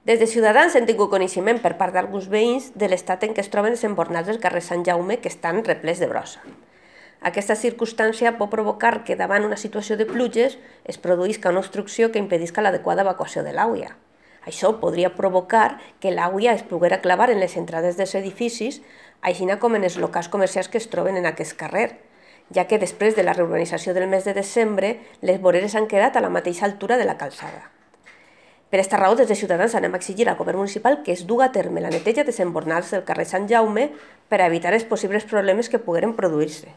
Des de Ciutadans hem tingut coneixement per part d'alguns veïns de l'estat en què es troben els embornals del carrer Sant Jaume, que estan replets de brossa. Aquesta circumstància pot provocar que davant una situació de pluges es produïsca una obstrucció que impedisca l'adequada evacuació de l'aigua. Això podria provocar que l'aigua es poguera clavar en les entrades dels edificis, així com en els locals comercials que es troben en aquest carrer, ja que després de la reurbanització del mes de desembre, les voreres han quedat a la mateixa altura de la calçada. Per aquesta raó, des de Ciutadans anem a exigir al govern municipal que es duga a terme la neteja dels embornals del carrer Sant Jaume per a evitar els possibles problemes que pogueren produir-se.